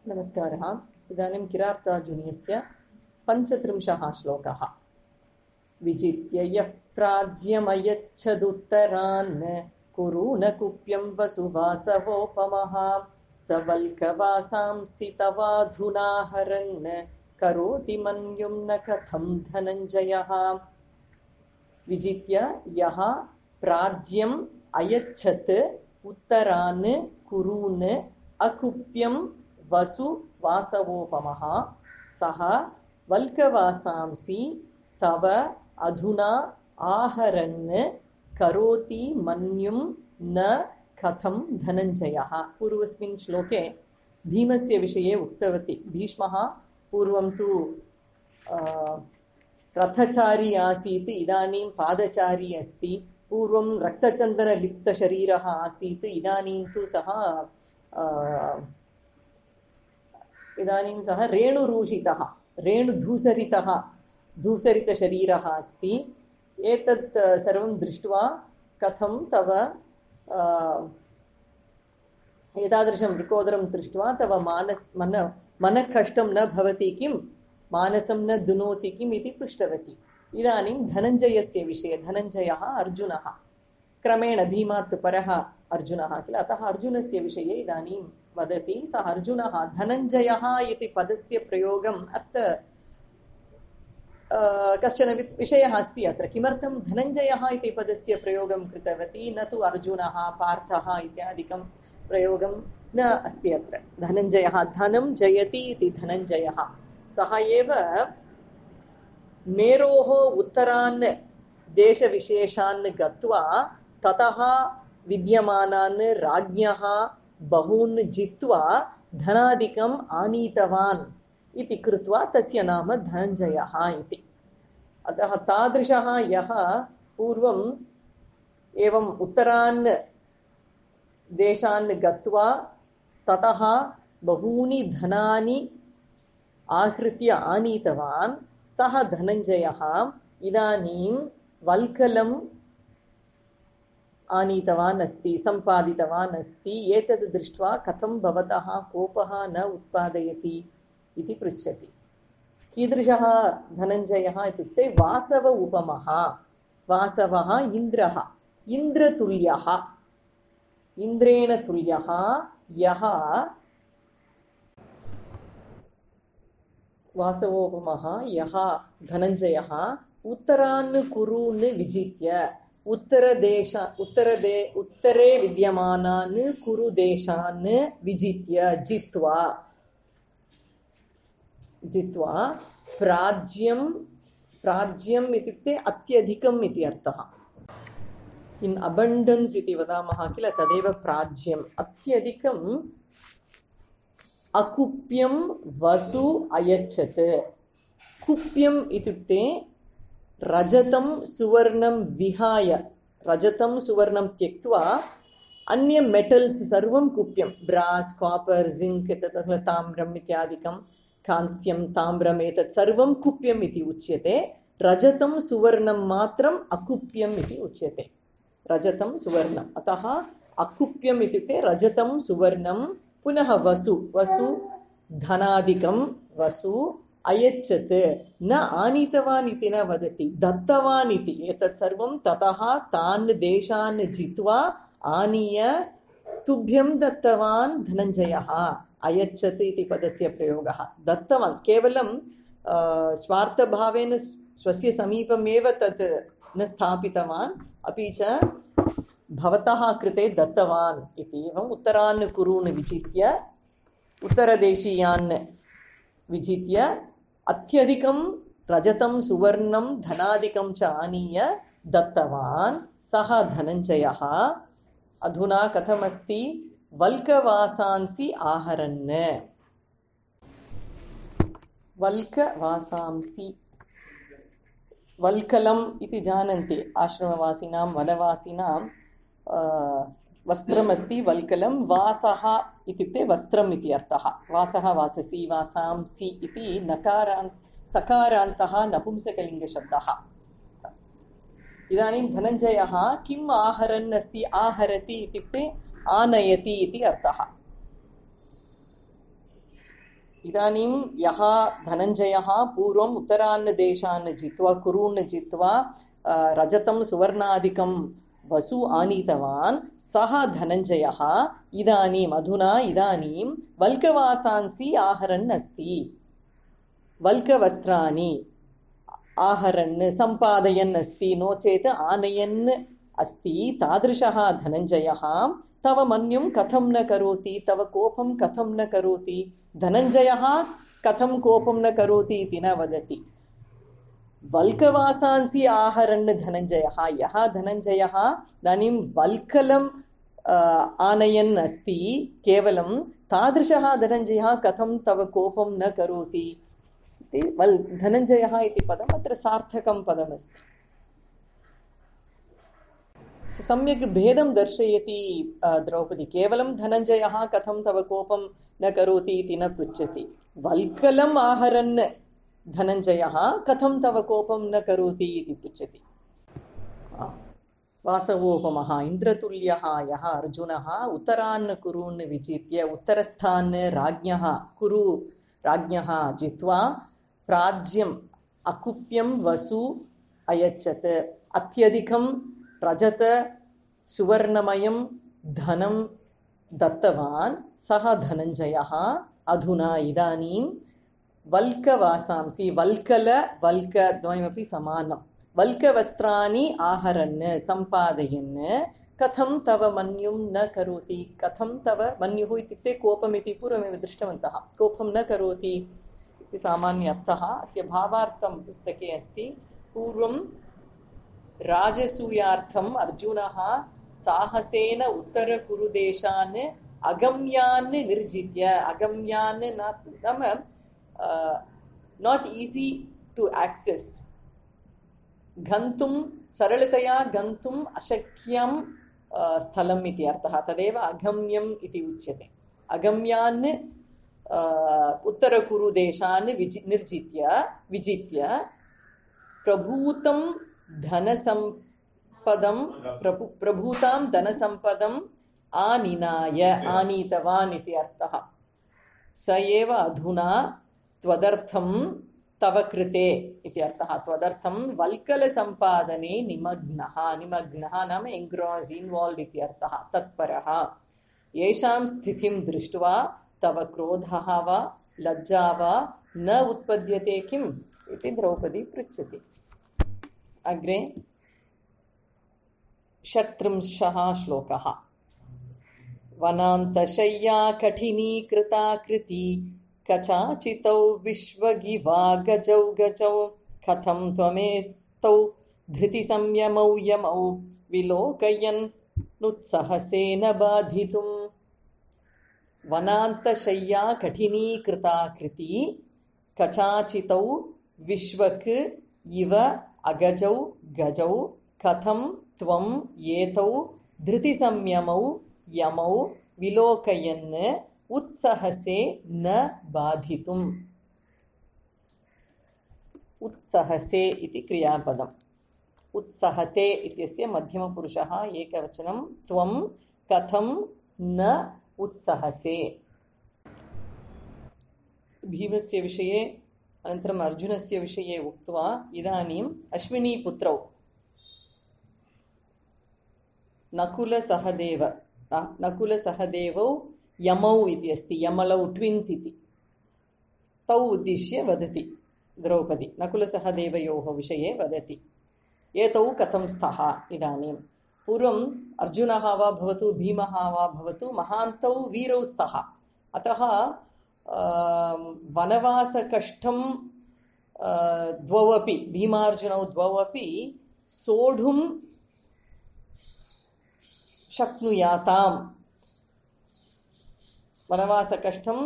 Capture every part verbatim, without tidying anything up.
नमस्कारः। इदानीं किरातार्जुनीयस्य पञ्चत्रिंशः श्लोकः। विजित्य यः प्राज्यमयच्छदुत्तरान् कुरु न कुप्यं वसुवासवोपमः स वल्कवासांसि तवाधुना हरन् करोति मन्युं न कथं धनञ्जयः। विजित्य यः प्राज्यम् अयच्छत् उत्तरान् कुरून् अकुप्यं वसु वासवोपमः सः वल्कवासांसि तव अधुना आहरन् करोति मन्युं न कथं धनञ्जयः। पूर्वस्मिन् श्लोके भीमस्य विषये उक्तवती। भीष्मः पूर्वं तु रथचारी आसीत्, इदानीं पादचारी अस्ति। पूर्वं रक्तचन्दनलिप्तशरीरः आसीत्, इदानीं तु सः इदानीं सः रेणुरूषितः रेणुधूसरितः धूसरितशरीरः अस्ति। एतत् सर्वं दृष्ट्वा कथं तव एतादृशं वृकोदरं दृष्ट्वा तव मानस मन मनःकष्टं न भवति किं, मानसं न दुनोति किम् इति पृष्टवती। इदानीं धनञ्जयस्य विषये, धनञ्जयः अर्जुनः, क्रमेण भीमात् परः अर्जुनः किल, अतः अर्जुनस्य विषये इदानीं वदति। सः अर्जुनः धनञ्जयः इति पदस्य प्रयोगम् अर्थ कश्चन विषयः अस्ति अत्र। किमर्थं धनञ्जयः इति पदस्य प्रयोगं कृतवती, न तु अर्जुनः पार्थः इत्यादिकं प्रयोगं न अस्ति अत्र। धनञ्जयः, धनं जयति इति धनञ्जयः। सः एव मेरोः उत्तरान् देशविशेषान् गत्वा ततः विद्यमानान् राज्ञः बहून् जित्वा धनादिकम् आनीतवान् इति कृत्वा तस्य नाम धनञ्जयः इति। अतः तादृशः यः पूर्वम् एवम् उत्तरान् देशान् गत्वा ततः बहूनि धनानि आहृत्य आनीतवान्, सः धनञ्जयः इदानीं वल्कलम् आनीतवान् अस्ति, सम्पादितवान् अस्ति। एतद् दृष्ट्वा कथं भवतः कोपः न उत्पादयति इति पृच्छति। कीदृशः धनञ्जयः इत्युक्ते वासव उपमः। वासवः इन्द्रः, इन्द्रतुल्यः, इन्द्रेण तुल्यः यः वासवोपमः यः धनञ्जयः उत्तरान् कुरून् विजित्य, उत्तरदेश उत्तरदे उत्तरे विद्यमानान् कुरुदेशान् विजित्य जित्वा जित्वा प्राज्यं, प्राज्यम् इत्युक्ते अत्यधिकम् इति अर्थः। इन् अबण्डन्स् इति वदामः किल, तदेव प्राज्यम्। अत्यधिकम् अकुप्यं वसु अयच्छत्। कुप्यम् इत्युक्ते रजतं सुवर्णं विहाय, रजतं सुवर्णं त्यक्त्वा अन्य मेटल्स् सर्वं कुप्यं, ब्रास्, कापर्, जिङ्क्, तथा ताम्रम् इत्यादिकं, कांस्यं, ताम्रम्, एतत् सर्वं कुप्यम् इति उच्यते। रजतं सुवर्णं मात्रम् अकुप्यम् इति उच्यते। रजतं सुवर्णम्, अतः अकुप्यम् इत्युक्ते रजतं सुवर्णं। पुनः वसु, वसु धनादिकं वसु अयच्छत्, न आनीतवान् इति न वदति, दत्तवान् इति। एतत् सर्वं ततः तान् देशान् जित्वा आनीय तुभ्यं दत्तवान् धनञ्जयः। अयच्छत् इति पदस्य प्रयोगः। दत्तवान् केवलं स्वार्थभावेन स्वस्य समीपमेव तत् न स्थापितवान्, अपि च भवतः कृते दत्तवान् इति। एवम् उत्तरान् कुरून् विजित्य, उत्तरदेशीयान् विजित्य अत्यधिकं रजतं सुवर्णं धनादिकं च आनीय दत्तवान् सः धनञ्जयः। अधुना कथमस्ति? वल्कवासांसि आहरन्। वल्कवासांसि, वल्कलम् इति जानन्ति आश्रमवासिनां वनवासिनां वस्त्रमस्ति वल्कलं। वासः इत्युक्ते वस्त्रम् इति अर्थः। वासः, वाससि, वासांसि इति नकारान्त सकारान्तः नपुंसकलिङ्गशब्दः। इदानीं धनञ्जयः किम् आहरन् अस्ति? आहरति इत्युक्ते आनयति इति अर्थः। इदानीं यः धनञ्जयः पूर्वम् उत्तरान् देशान् जित्वा कुरून् जित्वा रजतं सुवर्णादिकं वसु आनीतवान् सः धनञ्जयः इदानीम् अधुना इदानीं वल्कवासांसि आहरन् अस्ति। वल्कवस्त्राणि आहरन् सम्पादयन् अस्ति, नो चेत् आनयन् अस्ति। तादृशः धनञ्जयः तव मन्युं कथं न करोति, तव कोपं कथं न करोति। धनञ्जयः कथं कोपं न करोति इति न वदति। वल्कवासांसि आहरन् धनञ्जयः, यः धनञ्जयः इदानीं वल्कलं आनयन् अस्ति केवलं, तादृशः धनञ्जयः कथं तव कोपं न करोति इति वल् धनञ्जयः इति पदम् अत्र सार्थकं पदमस्ति। सम्यक् भेदं दर्शयति द्रौपदी। केवलं धनञ्जयः कथं तव कोपं न करोति इति न पृच्छति, वल्कलम् आहरन् धनञ्जयः कथं तव कोपं न करोति इति पृच्छति। वासवोपमः इन्द्रतुल्यः यः अर्जुनः उत्तरान् कुरून् विजित्य उत्तरस्थान् राज्ञः कुरु राज्ञः जित्वा प्राज्यम् अकुप्यं वसु अयच्छत्। अत्यधिकं रजत सुवर्णमयं धनं दत्तवान् सः धनञ्जयः अधुना इदानीं वल्कवासांसि, वल्कल वल्क द्वयमपि समानं, वल्कवस्त्राणि आहरन् सम्पादयन् कथं तव मन्युं न करोति। कथं तव मन्युः इत्युक्ते कोपमिति पूर्वमेव दृष्टवन्तः। कोपं न करोति इति सामान्य अर्थः। अस्य भावार्थं पुस्तके अस्ति। पूर्वं राजसूयार्थम् अर्जुनः साहसेन उत्तरकुरुदेशान् अगम्यान् निर्जित्य, अगम्यान् नाम नाट् ईज़ी टु एक्सेस्, गन्तुं सरलतया गन्तुम् अशक्यं स्थलम् इति अर्थः। तदेव अगम्यम् इति उच्यते। अगम्यान् उत्तरकुरुदेशान् विजि निर्जित्य विजित्य प्रभूतं धनसम्पदं प्रभु प्रभूतां धनसम्पदम् आनिनाय, आनीतवान् इति अर्थः। स एव अधुना त्वदर्थं तव कृते इति अर्थः। त्वदर्थं वल्कलसम्पादने निमग्नः, निमग्नः नाम एङ्ग्रास्ड्, इन्वाल्व्ड् इति अर्थः, तत्परः। येषां स्थितिं दृष्ट्वा तव क्रोधः वा लज्जा वा न उत्पद्यते किम् इति द्रौपदी पृच्छति। अग्रे षट्त्रिंशः श्लोकः। वनान्तशय्या कठिनीकृताकृति कचाचितौ विश्वगिवा गजौ गजौ कथं त्वमेतौ धृतिसंयमौ यमौ विलोकयन् नुत्सहसेन बाधितुम्। वनान्तशय्या कठिनीकृताकृति कचाचितौ विश्वक् इव अगजौ गजौ कथं त्वम् एतौ धृतिसंयमौ यमौ विलोकयन् उत्सहसे न बाधितुम्। उत्सहसे इति क्रियापदम्। उत्सहते इत्यस्य मध्यमपुरुषः एकवचनं। त्वं कथं न उत्सहसे। भीमस्य विषये अनन्तरम् अर्जुनस्य विषये उक्त्वा इदानीम् अश्विनीपुत्रौ नकुलसहदेव नकुलसहदेवौ यमौ इति अस्ति, यमलौ ट्विन्स् इति, तौ उद्दिश्य वदति द्रौपदी। नकुलसहदेवयोः विषये वदति। एतौ कथं स्तः इदानीं। पूर्वम् अर्जुनः वा भवतु भीमः वा भवतु महान्तौ वीरौ स्तः। अतः वनवासकष्टं द्वौ अपि, भीमार्जुनौ द्वौ अपि सोढुं शक्नुयाताम्। वनवासकष्टं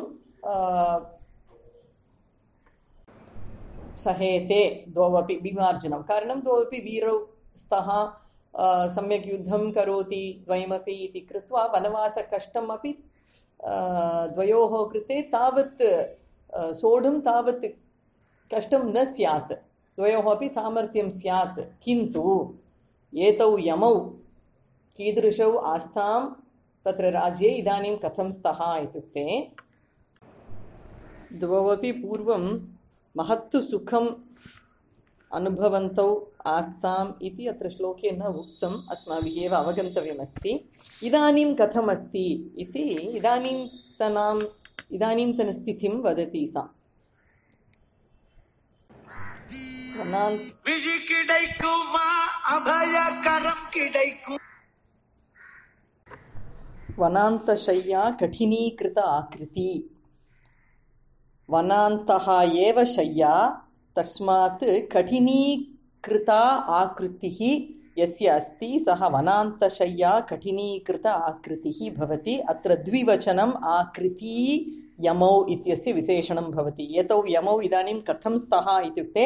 सहेते द्वौ अपि, भीमार्जुनौ। कारणं द्वौ अपि वीरौ स्तः, सम्यक् युद्धं करोति द्वयमपि इति कृत्वा वनवासकष्टम् अपि द्वयोः कृते तावत् सोढुं तावत् कष्टं न स्यात्, द्वयोः अपि सामर्थ्यं स्यात्। किन्तु एतौ यमौ कीदृशौ आस्तां तत्र राज्ये इदानीं कथं स्तः इत्युक्ते द्वौपि पूर्वं महत्तु सुखम् अनुभवन्तौ आस्ताम् इति अत्र श्लोके न उक्तम्, अस्माभिः एव अवगन्तव्यमस्ति। इदानीं कथमस्ति इति इदानीन्तनाम् इदानीन्तनस्थितिं वदति सा। वनान्तशय्या कठिनीकृत आकृति। वनान्तः एव शय्या, तस्मात् कठिनीकृता आकृतिः यस्य अस्ति सः वनान्तशय्या कठिनीकृत आकृतिः भवति। अत्र द्विवचनम् आकृति यमौ इत्यस्य विशेषणं भवति। एतौ यमौ इदानीं कथं स्तः इत्युक्ते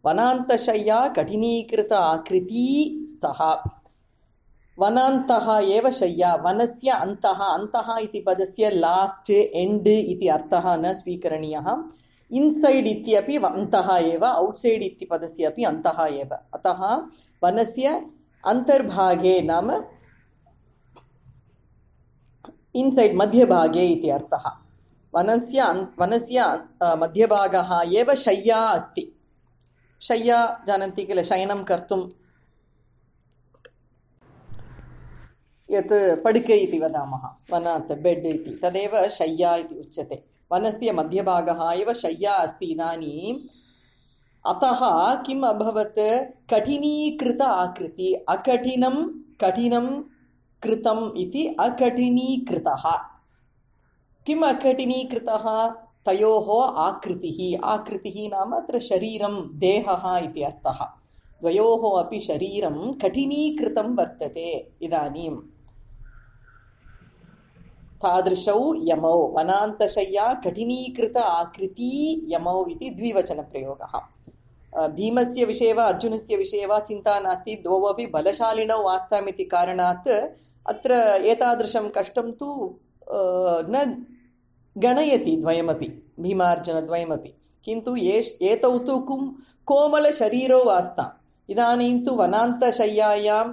वनान्तशय्या कठिनीकृत आकृति स्तः। वनान्तः एव शय्या, वनस्य अन्तः, अन्तः इति पदस्य लास्ट् एण्ड् इति अर्थः न स्वीकरणीयः। इन्सैड् इत्यपि अन्तः एव, औट्सैड् इति पदस्य अपि अन्तः एव। अतः वनस्य अन्तर्भागे नाम इन्सैड् मध्यभागे इति अर्थः। वनस्य वनस्य मध्यभागः एव शय्या अस्ति। शय्या जानन्ति किल, शयनं कर्तुं यत् पडिके इति वदामः, वनात् बेड् इति, तदेव शय्या इति उच्यते। वनस्य मध्यभागः एव शय्या अस्ति इदानीम्। अतः किम् अभवत्, कठिनीकृत आकृति, अकठिनं कठिनं कृतम् इति अकठिनीकृतः। किम् अकठिनीकृतः, तयोः आकृतिः। आकृतिः नाम अत्र शरीरं, देहः इति अर्थः। द्वयोः अपि शरीरं कठिनीकृतं वर्तते इदानीम्। तादृशौ यमौ, वनान्तशय्या कठिनीकृत आकृति यमौ इति द्विवचनप्रयोगः। भीमस्य विषये वा अर्जुनस्य विषये वा चिन्ता नास्ति, द्वौ अपि बलशालिनौ आस्ताम् इति कारणात् अत्र एतादृशं कष्टं तु न गणयति द्वयमपि, भीमार्जुनद्वयमपि। किन्तु एतौ तु कोमलशरीरौ आस्ताम्। इदानीं तु वनान्तशय्यायां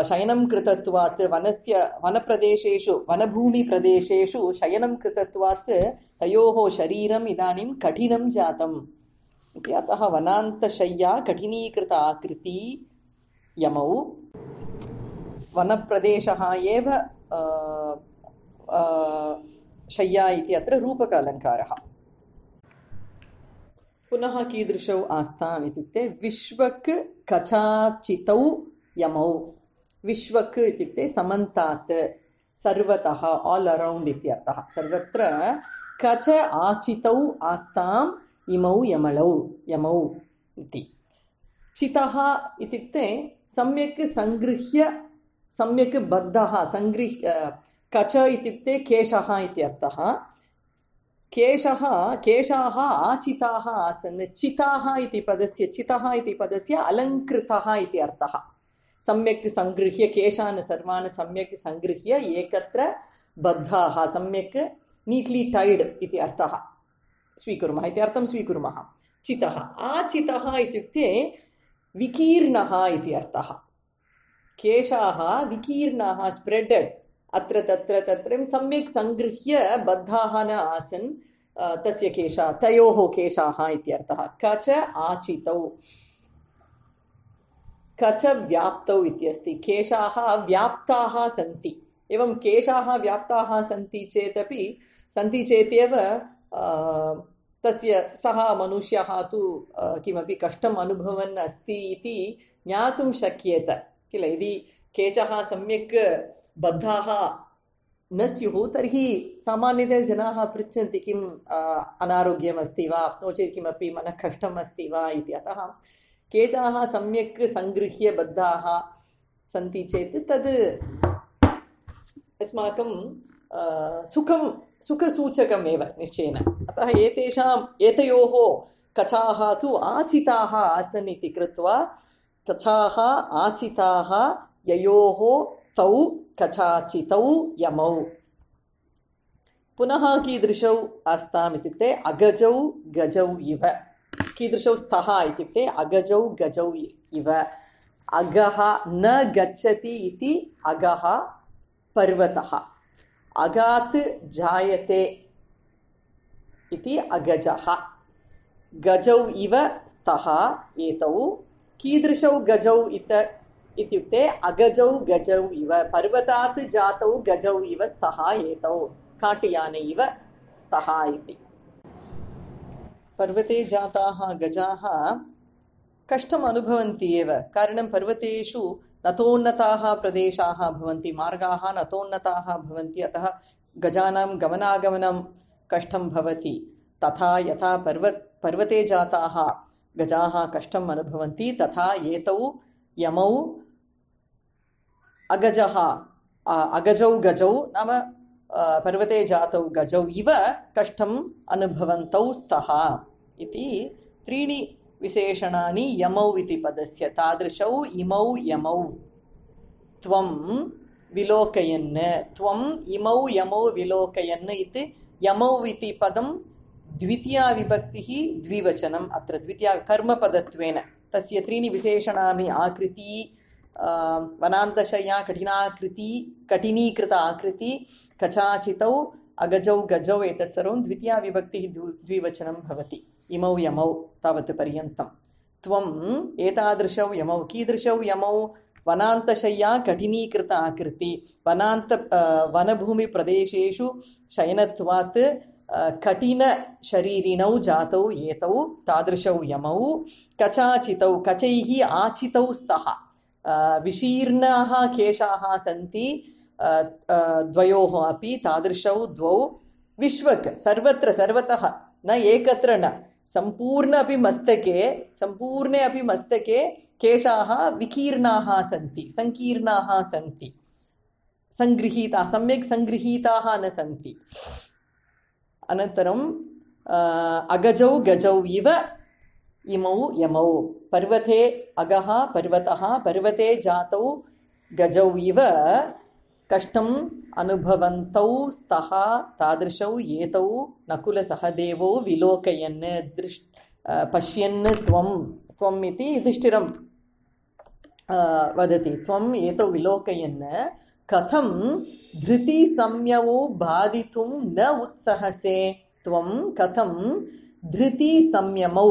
शयनं कृतत्वात्, वनस्य वनप्रदेशेषु वनभूमिप्रदेशेषु शयनं कृतत्वात् तयोः शरीरम् इदानीं कठिनं जातम् इति। अतः वनान्तशय्या कठिनीकृत आकृति यमौ। वनप्रदेशः एव शय्या इति अत्र रूपक अलङ्कारः। पुनः कीदृशौ आस्ताम् इत्युक्ते विश्वक् कचाचितौ यमौ। विश्वक् इत्युक्ते समन्तात्, सर्वतः, आल् अरौण्ड् इत्यर्थः। सर्वत्र कच आचितौ आस्ताम् इमौ यमलौ यमौ इति। चितः इत्युक्ते सम्यक् सङ्गृह्य, सम्यक् बद्धः, सङ्गृह्य। कच इत्युक्ते केशः इत्यर्थः। केशः केशाः आचिताः आसन्। चिताः इति पदस्य, चितः इति पदस्य अलङ्कृतः इति अर्थः। सम्यक् सङ्गृह्य, केशान् सर्वान् सम्यक् सङ्गृह्य एकत्र बद्धाः, सम्यक् नीट्लि टैड् इति अर्थः स्वीकुर्मः, इति अर्थं स्वीकुर्मः। चितः। आचितः इत्युक्ते विकीर्णः इति अर्थः। केशाः विकीर्णाः, स्प्रेडेड्, अत्र तत्र तत्र सम्यक् सङ्गृह्य बद्धाः न आसन् तस्य केशाः, तयोः केशाः इत्यर्थः। कच आचितौ, कच व्याप्तौ इत्यस्ति। केशाः व्याप्ताः सन्ति। एवं केशाः व्याप्ताः सन्ति चेदपि सन्ति चेतेव तस्य सः मनुष्यः तु किमपि कष्टम् अनुभवन् अस्ति इति ज्ञातुं शक्येत किल। यदि केशः सम्यक् बद्धाः न स्युः तर्हि सामान्यतया जनाः पृच्छन्ति किम् अनारोग्यम् अस्ति वा, नो चेत् किमपि मनः कष्टम् अस्ति वा इति। अतः केशाः सम्यक् सङ्गृह्य बद्धाः सन्ति चेत् तद् अस्माकं सुखं सुखसूचकमेव निश्चयेन। अतः एतेषाम् एतयोः कचाः तु आचिताः आसन् इति कृत्वा कचाः आचिताः ययोः तौ कचाचितौ यमौ। पुनः कीदृशौ आस्ताम् इत्युक्ते अगजौ गजौ इव। कीदृशौ स्तः इत्युक्ते अगजौ गजौ इव। अगः न गच्छति इति अगः पर्वतः। अगात् जायते इति अगजः। गजौ इव स्तः एतौ। कीदृशौ गजौ इत इत्युक्ते अगजौ गजौ इव, पर्वतात् जातौ गजौ इव स्तः एतौ, काटयाने इव स्तः इति। पर्वते जाताः गजाः कष्टम् अनुभवन्ति एव, कारणं पर्वतेषु नतोन्नताः प्रदेशाः भवन्ति, मार्गाः नतोन्नताः भवन्ति, अतः गजानां गमनागमनं कष्टं भवति। तथा यथा पर्वत पर्वते जाताः गजाः कष्टम् अनुभवन्ति, तथा एतौ यमौ अगजः अगजौ गजौ नाम पर्वते जातौ गजौ इव कष्टम् अनुभवन्तौ स्तः इति त्रीणि विशेषणानि यमौ इति पदस्य। तादृशौ इमौ यमौ। त्वं विलोकयन्, त्वम् इमौ यमौ विलोकयन् इति यमौ इति पदं द्वितीया विभक्तिः द्विवचनम्। अत्र द्वितीया कर्मपदत्वेन तस्य त्रीणि विशेषणानि आकृति, वनान्तशय्या कठिनाकृति, कठिनीकृत आकृति, कचाचितौ अगजौ गजौ, एतत् सर्वं द्वितीया विभक्तिः द्विवचनं भवति। इमौ यमौ तावत् पर्यन्तं। त्वम् एतादृशौ यमौ। कीदृशौ यमौ? वनान्तशय्या कठिनीकृत आकृति, वनान्त वनभूमिप्रदेशेषु शयनत्वात् कठिनशरीरिणौ जातौ एतौ, तादृशौ यमौ। कचाचितौ, कचैः आचितौ स्तः, विशीर्णाः केशाः सन्ति द्वयोः अपि, तादृशौ द्वौ। विश्वक्, सर्वत्र सर्वतः, न एकत्र न, सम्पूर्ण अपि मस्तके, सम्पूर्णे अपि मस्तके केशाः विकीर्णाः सन्ति, सङ्कीर्णाः सन्ति, सङ्गृहीताः, सम्यक् सङ्गृहीताः न सन्ति। अनन्तरं अगजौ गजौ इव इमौ यमौ। पर्वते अगः पर्वतः, पर्वते जातौ गजौ इव कष्टम् अनुभवन्तौ स्तः, तादृशौ एतौ नकुलसहदेवौ विलोकयन् दृष् पश्यन्। त्वं त्वम् इति युधिष्ठिरं वदति। त्वम् एतौ विलोकयन् कथं धृतिसंयमौ बाधितुं न उत्सहसे। त्वं कथं धृतिसंयमौ,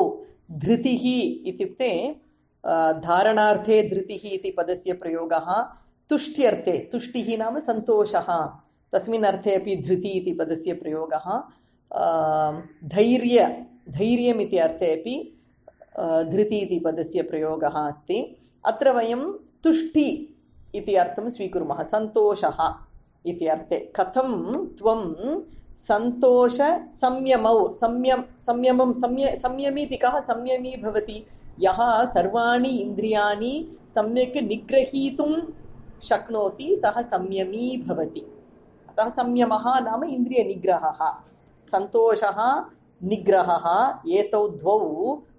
धृतिः इत्युक्ते धारणार्थे धृतिः इति पदस्य प्रयोगः, तुष्ट्यर्थे, तुष्टिः नाम सन्तोषः, तस्मिन् अर्थे अपि धृति इति पदस्य प्रयोगः, धैर्य धैर्यम् इति अर्थे अपि धृति इति पदस्य प्रयोगः अस्ति। अत्र वयं तुष्टि इति अर्थं स्वीकुर्मः, सन्तोषः इति अर्थे। कथं त्वं सन्तोष संयमौ, संयम संयमं संय संयमी इति कः संयमी भवति? यः सर्वाणि इन्द्रियाणि सम्यक् निग्रहीतुं शक्नोति सः संयमी भवति। अतः संयमः नाम इन्द्रियनिग्रहः, सन्तोषः निग्रहः, एतौ द्वौ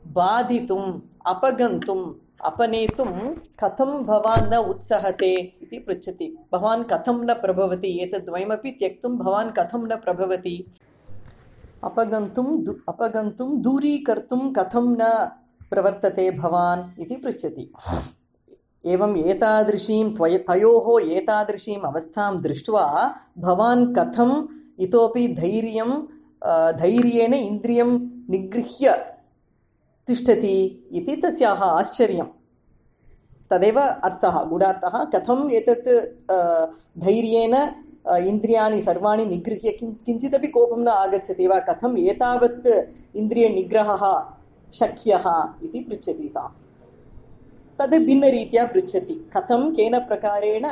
बाधितुम् अपगन्तुम् अपनेतुं कथं भवान् न उत्सहते इति पृच्छति। भवान् कथं न प्रभवति, एतद्वयमपि त्यक्तुं भवान् कथं न प्रभवति? अपगन्तुं अपगन्तुं दूरीकर्तुं कथं न प्रवर्तते भवान् इति पृच्छति। एवम् एतादृशीं त्वय तयोः एतादृशीम् अवस्थां दृष्ट्वा भवान् कथम् इतोपि धैर्यं धैर्येण इन्द्रियं निगृह्य तिष्ठति इति तस्याः आश्चर्यं। तदेव अर्थः, गूढार्थः। कथम् एतत् धैर्येण इन्द्रियाणि सर्वाणि निगृह्य किञ्चिदपि कोपं न आगच्छति वा, कथम् एतावत् इन्द्रियनिग्रहः शक्यः इति पृच्छति सा। तद् भिन्नरीत्या पृच्छति। कथं, केन प्रकारेण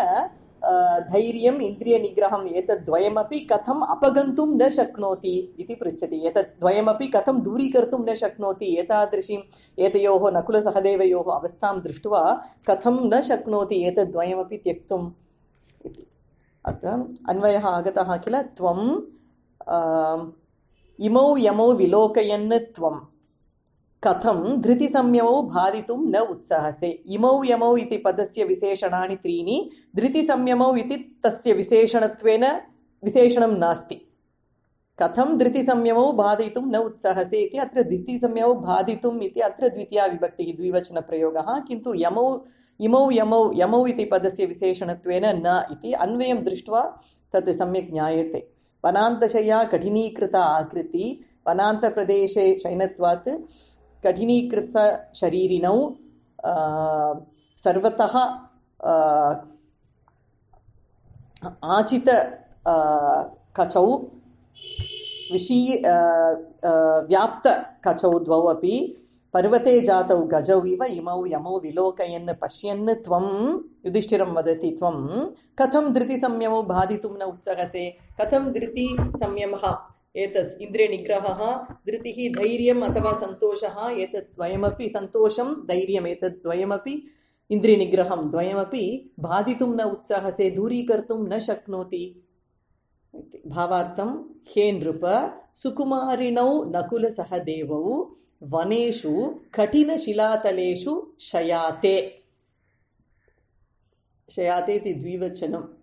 धैर्यम् इन्द्रियनिग्रहम् एतद्द्वयमपि कथम् अपगन्तुं न शक्नोति इति पृच्छति। एतद्द्वयमपि कथं दूरीकर्तुं न शक्नोति, एतादृशीम् एतयोः नकुलसहदेवयोः अवस्थां दृष्ट्वा कथं न शक्नोति एतद्द्वयमपि त्यक्तुम् इति। अत्र अन्वयः आगतः किल। त्वम् इमौ यमौ विलोकयन् त्वं कथं धृतिसंयमौ बाधितुं न उत्सहसे। इमौ यमौ इति पदस्य विशेषणानि त्रीणि, धृतिसंयमौ इति तस्य विशेषणत्वेन विशेषणं नास्ति। कथं धृतिसंयमौ बाधितुं न उत्सहसे इति अत्र धृतिसंयमौ बाधितुम् इति अत्र द्वितीया विभक्तिः द्विवचनप्रयोगः, किन्तु यमौ इमौ यमौ यमौ इति पदस्य विशेषणत्वेन न इति अन्वयं दृष्ट्वा तत् सम्यक् ज्ञायते। वनान्तशय्या कठिनीकृत आकृति, वनान्तप्रदेशे शयनत्वात् कठिनीकृतशरीरिणौ सर्वतः आचित कचौ विशी व्याप्त कचौ द्वौ अपि पर्वते जातौ गजौ इव इमौ यमौ विलोकयन् पश्यन् त्वं युधिष्ठिरं वदति त्वं कथं धृतिसंयमौ बाधितुं न उत्सहसे कथं धृतिसंयमः एतत् इन्द्रियनिग्रहः धृतिः धैर्यम् अथवा सन्तोषः एतत् द्वयमपि सन्तोषं धैर्यम् एतत् द्वयमपि इन्द्रियनिग्रहं द्वयमपि बाधितुं न उत्सहसे दूरीकर्तुं न शक्नोति भावार्थं हे नृप सुकुमारिणौ नकुलसहदेवौ वनेषु कठिनशिलातलेषु शयाते शयाते इति द्विवचनम्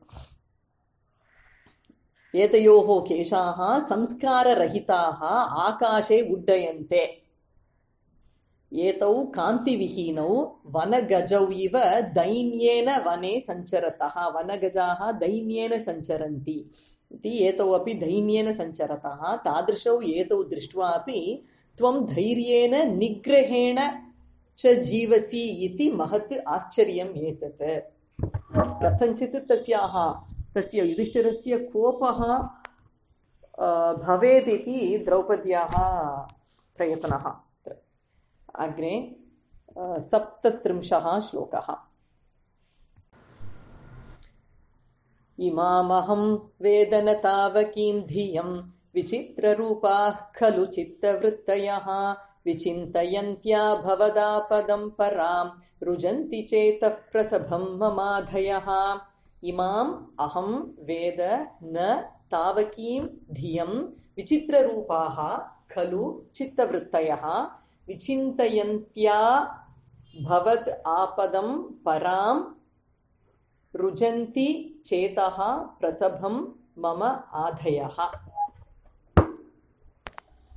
एतयोः केशाः संस्काररहिताः आकाशे उड्डयन्ते एतौ कान्तिविहीनौ वनगजौ इव दैन्येन वने सञ्चरतः वनगजाः दैन्येन सञ्चरन्ति इति एतौ अपि दैन्येन सञ्चरतः तादृशौ एतौ दृष्ट्वा अपि त्वं धैर्येण निग्रहेण च जीवसि इति महत् आश्चर्यम् एतत् कथञ्चित् तस्याः तस्य युधिष्ठिरस्य कोपः भवेत् इति द्रौपद्याः प्रयत्नः अग्रे सप्तत्रिंशः श्लोकः इमामहं वेदन तावकीं धियं विचित्ररूपाः खलु चित्तवृत्तयः विचिन्तयन्त्या भवदापदं परां रुजन्ति चेतः प्रसभं ममाधयः इमाम् अहं वेद न तावकीं धियं विचित्ररूपाः खलु चित्तवृत्तयः विचिन्तयन्त्या भवद् आपदं परां रुजन्ति चेतः प्रसभं मम आधयः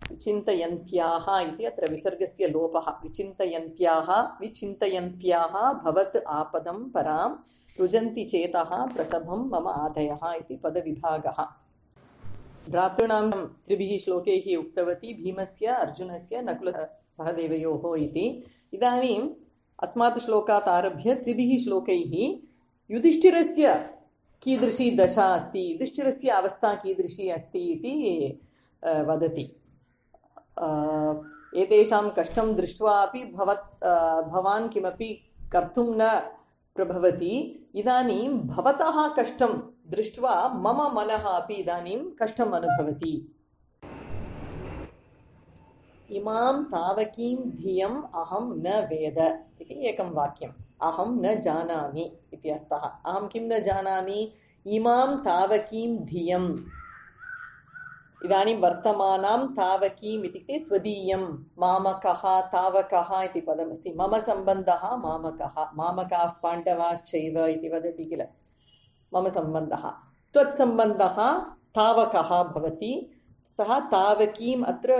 विचिन्तयन्त्याः इति अत्र विसर्गस्य लोपः विचिन्तयन्त्याः विचिन्तयन्त्याः भवत् आपदं परां रुजन्ति चेतः प्रसभं मम आधयः इति पदविभागः भ्रातॄणां त्रिभिः श्लोकैः उक्तवती भीमस्य अर्जुनस्य नकुलसहदेवयोः इति इदानीम् अस्मात् श्लोकात् आरभ्य त्रिभिः श्लोकैः युधिष्ठिरस्य कीदृशी दशा अस्ति युधिष्ठिरस्य अवस्था कीदृशी अस्ति इति वदति एतेषां कष्टं दृष्ट्वा अपि भवत् भवान् किमपि कर्तुं न प्रभवति इदानीं भवतः कष्टं दृष्ट्वा मम मनः अपि इदानीं कष्टम् अनुभवति इमां तावकीं धियम् अहं न वेद इति एकं वाक्यम् अहं न जानामि इति अर्थः अहं किं न जानामि इमां तावकीं धियम् इदानीं वर्तमानां तावकीम् इत्युक्ते त्वदीयं मामकः तावकः इति पदमस्ति मम सम्बन्धः मामकः मामकाः पाण्डवाश्चैव इति वदति किल मम सम्बन्धः त्वत्सम्बन्धः तावकः भवति अतः तावकीम् अत्र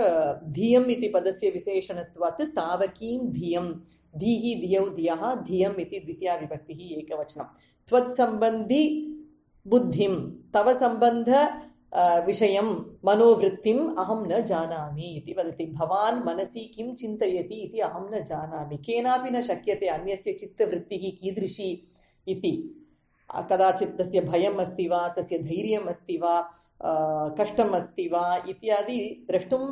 धियम् इति पदस्य विशेषणत्वात् तावकीं धियं धीः धियौ धियः धियम् इति द्वितीया विभक्तिः एकवचनं त्वत्सम्बन्धि बुद्धिं तव सम्बन्ध विषयं मनोवृत्तिम् अहं न जानामि इति वदति भवान् मनसि किं चिन्तयति इति अहं न जानामि केनापि न शक्यते अन्यस्य चित्तवृत्तिः कीदृशी इति कदाचित् तस्य भयम् अस्ति वा तस्य धैर्यम् अस्ति वा कष्टम् अस्ति वा इत्यादि द्रष्टुं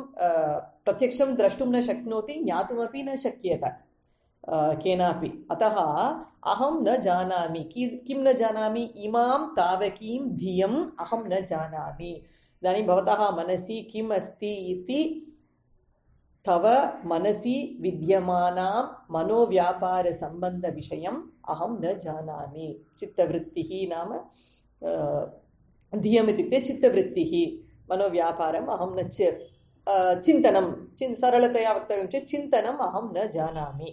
प्रत्यक्षं द्रष्टुं न शक्नोति ज्ञातुमपि न शक्येत केनापि अतः अहं न जानामि किं न जानामि इमां तावकीं धियम् अहं न जानामि इदानीं भवतः मनसि किम् अस्ति इति तव मनसि विद्यमानां मनोव्यापारसम्बन्धविषयम् अहं न जानामि चित्तवृत्तिः नाम धियम् इत्युक्ते चित्तवृत्तिः मनोव्यापारम् अहं न चिन्तनं चिन् सरलतया वक्तव्यं चेत् चिन्तनम् अहं न जानामि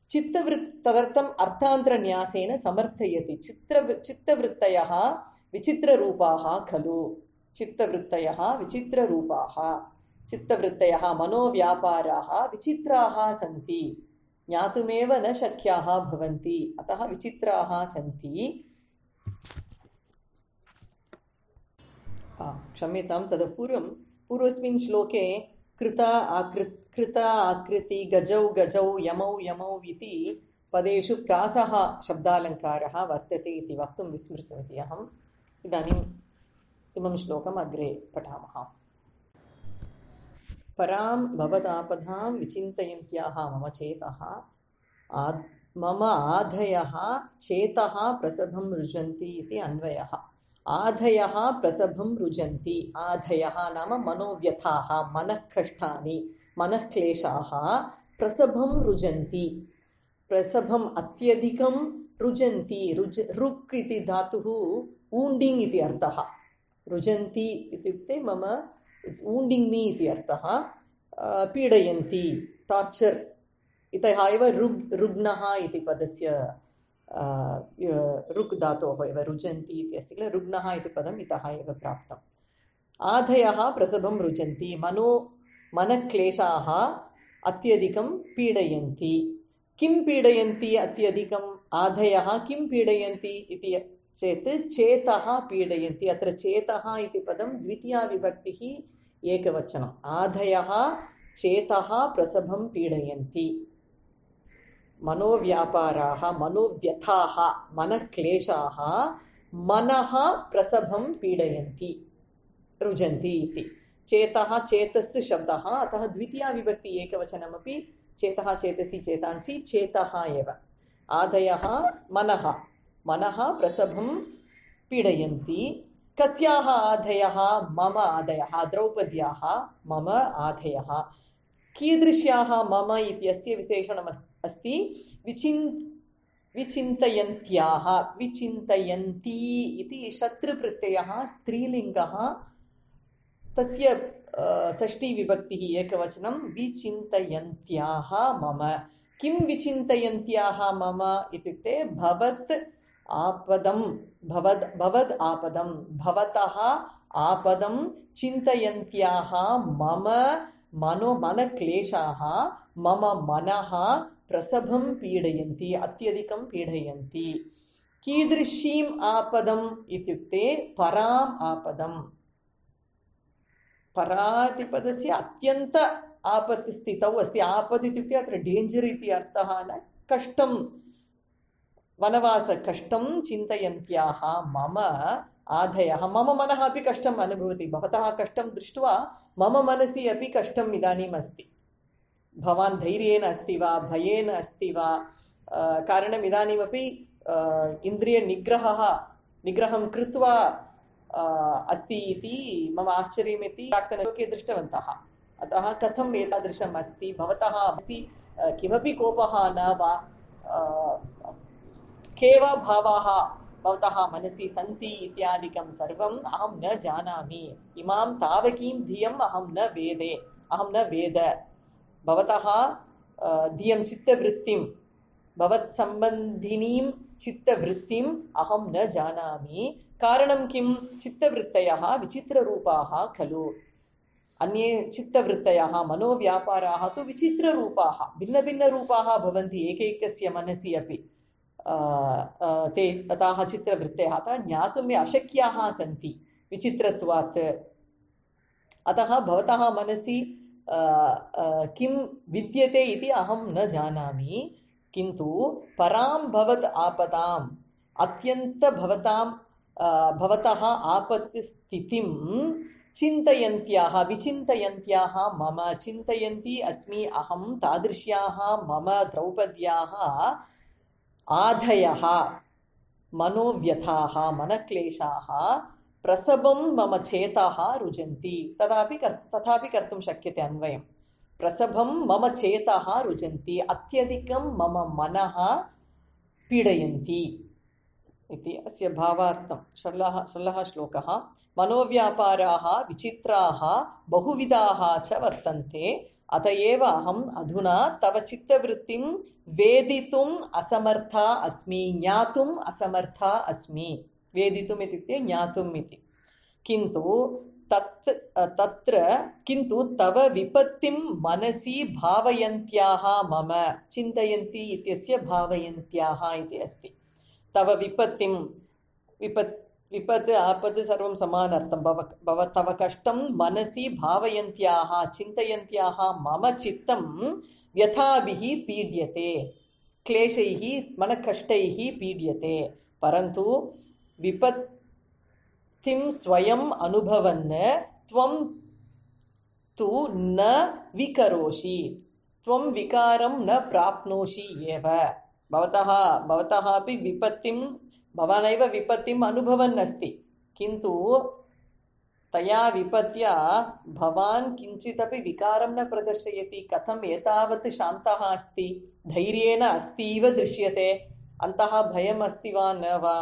चित्तवृत् तदर्थम् अर्थान्तरन्यासेन समर्थयति चित्र चित्तवृत्तयः विचित्ररूपाः खलु चित्तवृत्तयः विचित्ररूपाः चित्तवृत्तयः मनोव्यापाराः विचित्राः सन्ति ज्ञातुमेव न शक्याः भवन्ति अतः विचित्राः सन्ति क्षम्यतां तदपूर्वं पूर्वस्मिन् श्लोके कृता आकृ कृता आकृति गजौ गजौ यमौ यमौ इति पदेषु प्रासः शब्दालङ्कारः वर्तते इति वक्तुं विस्मृतवती अहम्। इदानीम् इमं श्लोकम् अग्रे पठामः। परां भवदापदां विचिन्तयन्त्याः मम चेतः आद् मम आधयः चेतः प्रसभं रुजन्ति इति अन्वयः। आधयः प्रसभं रुजन्ति। आधयः नाम मनोव्यथाः, मनःकष्टानि, मनःक्लेशाः प्रसभं रुजन्ति। प्रसभम् अत्यधिकं रुजन्ति। रुज रुक् इति धातुः ऊण्डिङ्ग् इति अर्थः। रुजन्ति इत्युक्ते मम इट्स् ऊण्डिङ्ग् मी इति अर्थः। पीडयन्ति, टार्चर् इतः एव रुग् रुग्णः इति पदस्य रुक् धातोः एव रुजन्ति इति अस्ति किल, रुग्णः इति पदम् इतः एव प्राप्तम्। आधयः प्रसभं रुजन्ति, मनो मनक्लेशाः अत्यधिकं पीडयन्ति। किं पीडयन्ति अत्यधिकम्? आधयः किं पीडयन्ति इति चेत् चेतः पीडयन्ति। अत्र चेतः इति पदं द्वितीया विभक्तिः एकवचनम्। आधयः चेतः प्रसभं पीडयन्ति। मनोव्यापाराः, मनोव्यथाः, मनक्लेशाः मनः प्रसभं पीडयन्ति, रुजन्ति इति। चेतः चेतस् शब्दः, अतः द्वितीया विभक्ति एकवचनमपि चेतः चेतसि चेतांसि चेतः एव। आधयः मनः, मनः प्रसभं पीडयन्ति। कस्याः आधयः? मम आधयः, द्रौपद्याः मम आधयः। कीदृश्याः मम इत्यस्य विशेषणम् अस्ति विचिन् विचिन्तयन्त्याः। विचिन्तयन्ती इति शत्रुप्रत्ययः स्त्रीलिङ्गः, तस्य षष्ठीविभक्तिः एकवचनं। विचिन्तयन्त्याः मम। किं विचिन्तयन्त्याः मम इत्युक्ते भवत् आपदं, भवद् भवद् आपदं, भवतः आपदं चिन्तयन्त्याः मम मनो मनक्लेशाः मम मनः प्रसभं पीडयन्ति, अत्यधिकं पीडयन्ति। कीदृशीम् आपदम् इत्युक्ते पराम् आपदम्। परातिपदस्य अत्यन्त आपत्तिस्थितौ अस्ति। आपद् इत्युक्ते अत्र डेञ्जर् इति अर्थः न, कष्टं, वनवासकष्टं चिन्तयन्त्याः मम आधयः। मम मनः अपि कष्टम् अनुभवति। भवतः कष्टं दृष्ट्वा मम मनसि अपि कष्टम् इदानीम् अस्ति। भवान् धैर्येण अस्ति वा, भयेन अस्ति वा? कारणम् इदानीमपि इन्द्रियनिग्रहः निग्रहं कृत्वा अस्ति इति मम आश्चर्यमिति प्राक्तनलोके दृष्टवन्तः। अतः कथम् एतादृशम् अस्ति? भवतः मनसि किमपि कोपः न वा? केव भावाः भवतः मनसि सन्ति इत्यादिकं सर्वम् अहं न जानामि। इमां तावकीं धियम् अहं न वेदे, अहं न वेद। भवतः धियं चित्तवृत्तिं, भवत्सम्बन्धिनीं चित्तवृत्तिम् अहं न जानामि। कारणं किं? चित्तवृत्तयः विचित्ररूपाः खलु। अन्ये चित्तवृत्तयः, मनोव्यापाराः तु विचित्ररूपाः, भिन्नभिन्नरूपाः भवन्ति एकैकस्य मनसि अपि। ते ताः चित्रवृत्तयः अतः ज्ञातुम् अशक्याः सन्ति विचित्रत्वात्। अतः भवतः मनसि किं विद्यते इति अहं न जानामि। किन्तु परां भवत् आपदाम्, अत्यन्त भवतां भवतः आपत्तिस्थितिं चिन्तयन्त्याः, विचिन्तयन्त्याः मम, चिन्तयन्ती अस्मि अहं तादृश्याः मम द्रौपद्याः आधयः, मनोव्यथाः, मनक्लेशाः प्रसभं मम चेतः रुजन्ति। तदापि तथापि कर्तुं शक्यते अन्वयम्। प्रसभं मम चेतः रुजन्ति, अत्यधिकं मम मनः पीडयन्ति इति अस्य भावार्थं षोडशः षोडशः श्लोकः। मनोव्यापाराः विचित्राः बहुविधाः च वर्तन्ते, अतएव अहम् अधुना तव चित्तवृत्तिं वेदितुम् असमर्था अस्मि, ज्ञातुम् असमर्था अस्मि। वेदितुम् इत्युक्ते ज्ञातुम् इति। किन्तु तत् तत्र किन्तु तव विपत्तिं मनसि भावयन्त्याः मम, चिन्तयन्ति इत्यस्य भावयन्त्याः इति अस्ति। तव विपत्तिं, विपत् विपत् आपत् सर्वं समानार्थं। भव भव तव कष्टं मनसि भावयन्त्याः चिन्तयन्त्याः मम चित्तं व्यथाभिः पीड्यते, क्लेशैः मनकष्टैः पीड्यते। परन्तु विपत्तिं स्वयम् अनुभवन् त्वं तु न विकरोषि, त्वं विकारं न प्राप्नोषि एव। भवतः भवतः अपि विपत्तिं भवानेव विपत्तिम् अनुभवन् अस्ति, किन्तु तया विपत्या भवान् किञ्चिदपि विकारं न प्रदर्शयति। कथम् एतावत् शान्तः अस्ति, धैर्येण अस्ति इव दृश्यते, अन्तः भयम् अस्ति वा न वा?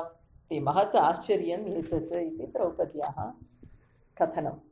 ते महत् आश्चर्यम् एतत् इति द्रौपद्याः कथनम्।